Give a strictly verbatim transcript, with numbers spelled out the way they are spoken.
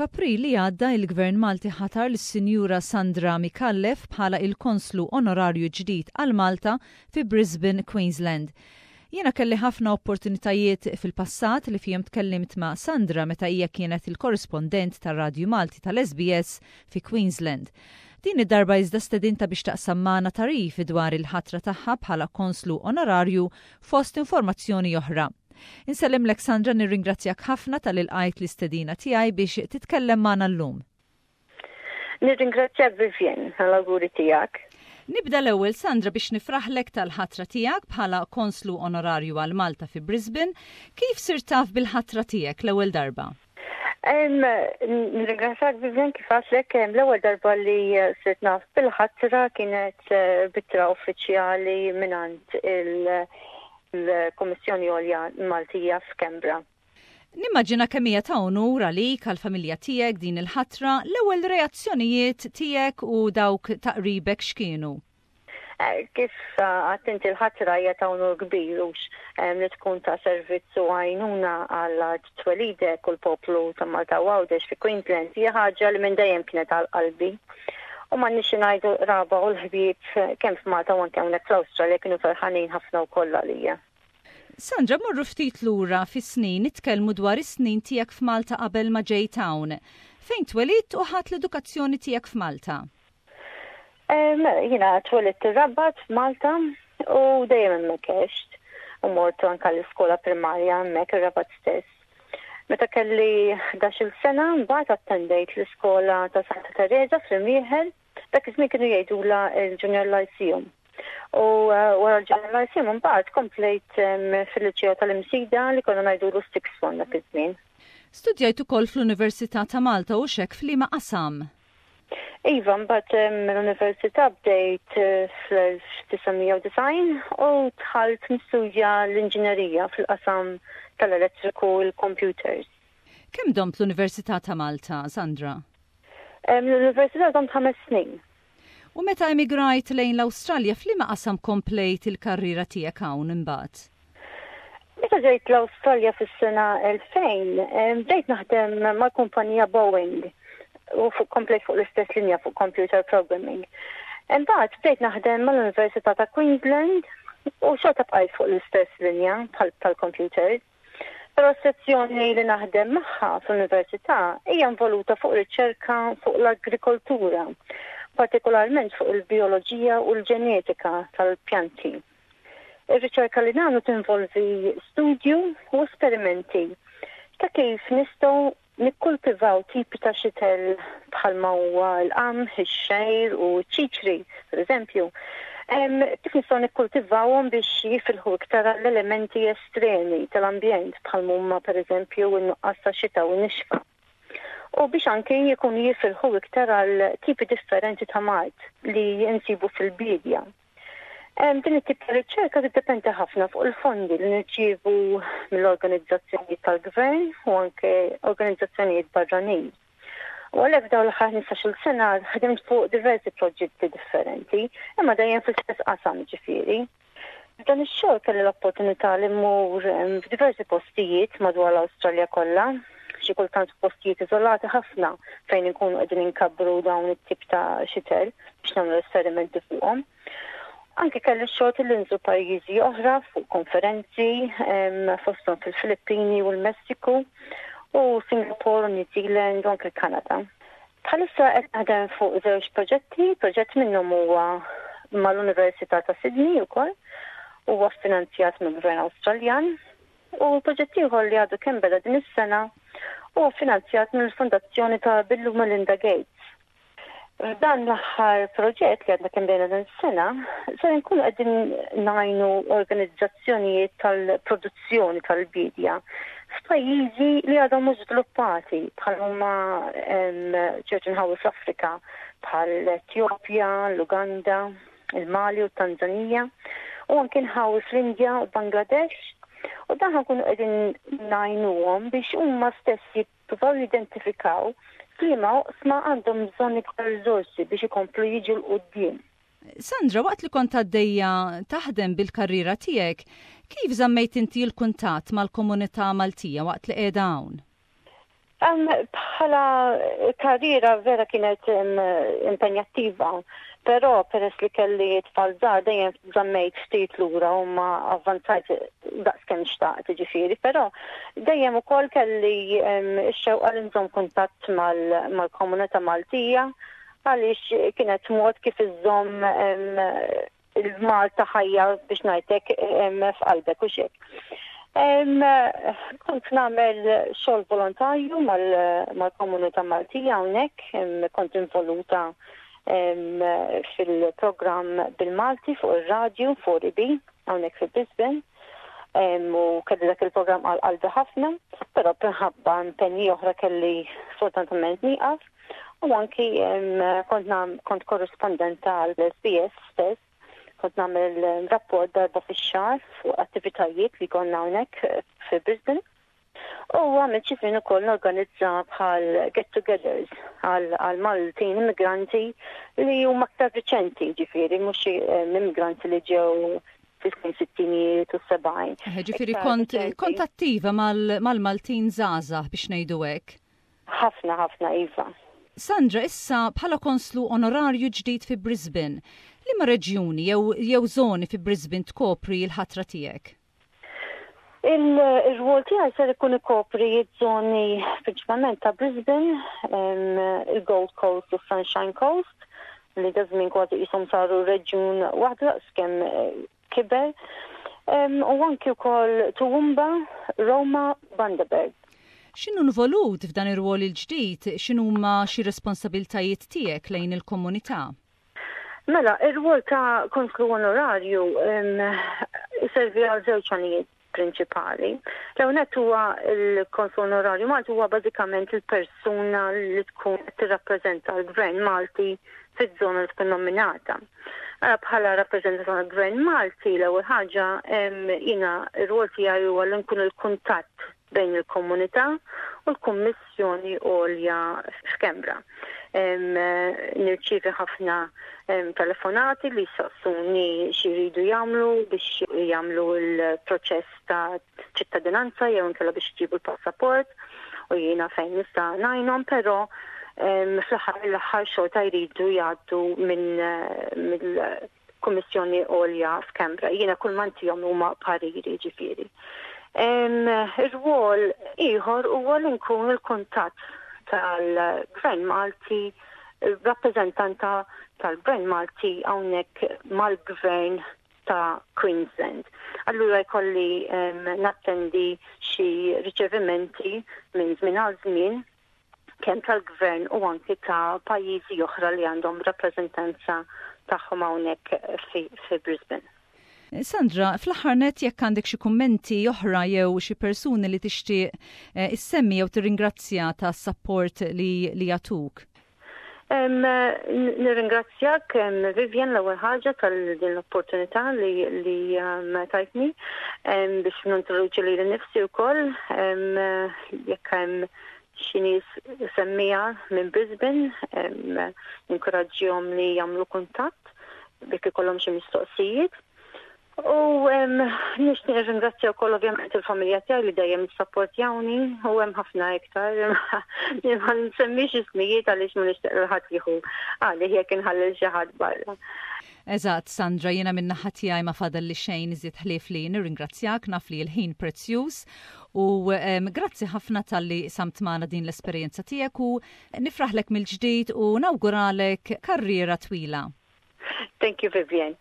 F'April li għadda, il-Gvern Malti ħatar lis-Sinjura Sandra Micallef bħala il-Konslu Onorarju ġdid għal Malta fi Brisbane, Queensland. Jiena kelli ħafna opportunitajiet fil-passat li fihom tkellimt ma' Sandra meta hija kienet il-korrispondent tar-Radju Malti tal-S B S fi Queensland. Din id-darba iżda stedinta biex taqsam magħna tagħrif dwar il-ħatra tagħha bħala konslu onorarju, fost informazzjoni oħra. Insellimlek, Sandra, nirringrazzjak ħafna talli lqajt l-istedina tiegħi biex titkellem magħna llum. Nirringrazzjak, Vivian, għall-awguri tiegħek. Nibda l-ewwel, Sandra, biex nifraħlek tal-ħatra tiegħek bħala konslu onorarju għal Malta fi Brisbane. Kif sirt taf bil-ħatra tiegħek l-ewwel darba? Nirringrazzjak, Vivian. Kif għedtlek, l-ewwel darba li sirt naf bil-ħatra kienet eh, b'ittra uffiċjali mingħand il- l-Kommissjoni Għolja Maltija f'Canberra. Nimmaġina kemm hija ta' onur għalik, għall-familja tiegħek, din il-ħatra. L-ewwel reazzjonijiet tiegħek u dawk ta' qribek x'kienu? Eh, kif għedt inti, l-ħatra hija ta' unur kbir ux li tkun ta' servizzu għajnuna għal twelidek u l-poplu ta' Malta u Għawdex fi Queensland hija ħaġa li minn dejjem kienet għal qalbi. U ma nix ngħidu, qraba u l-ħbieb kemm f'Malta u anke hawnhekk fl-Awstralja kienu ferħanin ħafna wkoll għalija. Sandra, morru ftit lura fis-snin, nitkellmu dwar is-snin tiegħek f'Malta qabel ma ġejt hawn. Fejn twelidt u ħadt l-edukazzjoni tiegħek f'Malta? Jiena twelidt ir-Rabat f'Malta u dejjem hemmhekk għext u mort anke l-iskola primarja hemmhekk ir-Rabat stess. Meta kelli ħdax-il sena, mbagħad attendejt l-iskola ta' Santa Teresa fl-Imrieħel, dak iż-żmien kienu jgħidula il-Junior Lyceum. U uh, wara l-Junior Lyceum mbagħad komplejt fil-Liċeo tal-Imsida, li konna ngħidulu Sixth Form dak iż-żmien. Studjajt ukoll fl-Università ta' Malta, u xek f'liema qasam? Iva, mbagħad l-Università bdejt eh, fl-elf disa' mija u disgħin u dħalt nistudja l-inġinerija fil-qasam tal-elettriku u l-computers. Kemm domt l-Università ta' Malta, Sandra? L-Università domt ħames snin. U meta emigrajt lejn l-Awstralja, f'liema qasam komplejt il-karriera tiegħek hawn imbagħad? Meta ġejt l-Awstralja fis-sena elfejn, bdejt naħdem mal-kumpanija Boeing u fuq komplejt fuq l-istess linja, fuq computer programming. Imbagħad bdejt naħdem mal-Università ta' Queensland u xorta bqajt fuq l-istess linja tal-computers. Però s-sezzjoni li naħdem magħha fl-università hija involuta fuq riċerka fuq l-agrikoltura, partikolarment fuq il-bioloġija u l-ġenetika tal-pjanti. Ir-riċerka li nagħmlu tinvolvi studju u esperimenti ta' kif nistgħu nikkultivaw tipi ta' xitel bħalma huwa l-qamħ, ix-xgħir u ċ-ċiċri, per eżempju. Kif nistgħu nikkultivawhom biex jifilħu iktar l-elementi estremi tal-ambjent, bħal huma, per eżempju, n-nuqqas ta' xita u nixfa, u biex anke jkunu jifilħu iktar għal tipi differenti ta' mard li jinsibu fil-bidja. Din it-tip ta' riċerka tiddependi ħafna fuq il-fondi li nirċievu mill-organizzazzjonijiet tal-gvern u anke organizzazzjonijiet barranin. U għalhekk dawn l-aħħar ħmistax-il sena ħdimt fuq diversi proġetti differenti, imma dejjem fl-istess qasam, ġifieri. Dan ix-xogħol kelli l-opportunità li mmur f'diversi postijiet madwar l-Awstralja kollha, xi kultant postijiet iżolati ħafna fejn inkunu qegħdin inkabbru dawn it-tip ta' xitel biex nagħmlu esperimenti fuqhom. Anke kelli xogħol li nżur pajjiżi oħra fuq konferenzi, fosthom fil-Filippini u l-Messiku u Singapore u New Zealand u anke l-Kanada. Bħalissa qed naħdem fuq żewġ proġetti, proġett minnhom huwa mal-Università ta' Sydney ukoll, huwa finanzjat mill-Gvern Awstraljan, u proġett ieħor li għadu kemm beda din is-sena huwa finanzjat mill-Fondazzjoni ta' Bill u Melinda Gates. Dan l-aħħar proġett li għadna kemm bdejna din is-sena, se nkunu qegħdin ngħinu organizzazzjonijiet tal-produzzjoni tal-bidja f'pajjiżi li għadhom mhux żviluppati, bħal huma ċerti nħawi fl-Afrika bħal Etjopja, l-Uganda, il-Mali u Tanzania u anke nħawi fl-Indja u Bangladesh, u dan nkunu qegħdin ngħinuhom biex huma stess jippruvaw jidentifikaw f'liema oqsma għandhom bżonn iktar riżorsi biex ikomplu jiġu 'l quddiem. Sandra, waqt li kont għaddejja taħdem bil-karriera tiegħek, kif żammejt inti l-kuntatt mal-komunità Maltija waqt li qiegħda hawn? Bħala karriera vera kienet impenjattiva, però peress li kelli tfal żgħar dejjem żammejt ftit lura u ma avvanzajt daqs kemm xtaqt ġifieri, però dejjem ukoll kelli x-xewqa li nżomm kuntatt mal-komunità Maltija għaliex kienet mod kif iżżomm il-Malta ħajja biex ngħidlek f'qalbek u xek. Kont nagħmel xogħol volontarju mal-komunità Maltija hawnhekk, kont involuta fil-programm bil-Malti fuq ir-radju fuq I B hawnhekk fi Brisbane. U kelli dak il-programm għal qalbi ħafna, però minħabba impenji oħra kelli sfortunatament nieqaf. U anki kont kont korrispondenta għal S B S stess, kont nagħmel rapport darba fix-xahar fuq attivitajiet li konna hawnhekk fi Brisbane. U għamilt xi żmien ukoll norganizza bħal get-togethers għal Maltin immigranti li huma aktar riċenti, ġifieri mhux immigranti li ġew fis-snin sittinijiet u sebgħin. Ġifieri kont kont attiva mal-Maltin żgħażagħ biex ngħidu hekk. Ħafna, ħafna, iva. Sandra, issa bħala konslu onorarju ġdid fi Brisbane, liema reġjuni jew jew zoni fi Brisbane tkopri l-ħatra tiegħek? Il-rwol tiegħi ser ikun ikopri ż-żoni prinċipalment ta' Brisbane, il-Gold Coast u Sunshine Coast, li daż-żmien kważi qishom saru reġjun waħda kemm eh, kiber. U anki wkoll Toowoomba, Roma, Bundaberg. X'inhu involut f'dan ir-rwol il-ġdid? X'inhuma xi responsabiltajiet tiegħek lejn il-komunità? Mela, ir-rwol ta' konslu onorarju servi għal żewġ għanijiet prinċipali. L-ewwel huwa il-konslu onorarju Malti huwa bażikament il-persuna li tkun tirrappreżenta l-Gvern Malti fiż-żona li tkun nominata. Bħala rappreżentant tal-Gvern Malti, l-ewwel ħaġa jiena r-rwol tiegħi huwa li nkun il-kuntatt bejn il-komunità u l-Kummissjoni Għolja f'Canberra. Nirċievi ħafna telefonati li saqsuni x'iridu jagħmlu biex jagħmlu l-proċess ta' ċittadinanza jew inkella biex jġibu l-passaport u jiena fejn nista' ngħinhom, però fl-aħħar l-aħħar xorta jridu jgħaddu minn mill-Kummissjoni Għolja f'Canberra. Jiena kull ma ntihom huma pariri ġifieri. Ir-rwol ieħor huwa li nkun il-kuntatt tal-Gvern Malti, rappreżentanta tal-Gvern Malti hawnhekk mal-Gvern ta' Queensland. Allura jkolli nattendi xi riċevimenti minn żmien għal żmien kemm tal-gvern u anki ta' pajjiżi oħra li għandhom rappreżentanza tagħhom hawnhekk fi, fi Brisbane. Sandra, fl-aħħar net jekk għandek xi kummenti oħra jew xi persuni li tixtieq eh, issemmi jew tirringrazzja ta' support li, li jagħtuk. Nirringrazzjak, Vivian, l-ewwel ħaġa tal din l-opportunità li, li tajtni biex nintroduċi lili nnifsi wkoll jekk hemm xi nies semmiegħa minn Brisbane, ninkoraġġihom li jagħmlu kuntatt biex ikollhom xi mistoqsijiet. U nixtieq nirringrazzja wkoll ovvjament il-familja tiegħi li dejjem issapportjawni u hemm ħafna iktar. Ma nsemmix ismijiet għaliex ma nixtieq lil ħadd jieħu għalih jekk inħalli xi ħadd barra. Eżatt, Sandra, jiena minn naħa tiegħi ma fadal li xejn iżjed ħlief li nirringrazzjak, naf li l-ħin prezzjuż u grazzi ħafna talli qsamt magħna din l-esperjenza tiegħek u nifraħlek mill-ġdid u nawguralek karriera twila. Thank you, Vivian.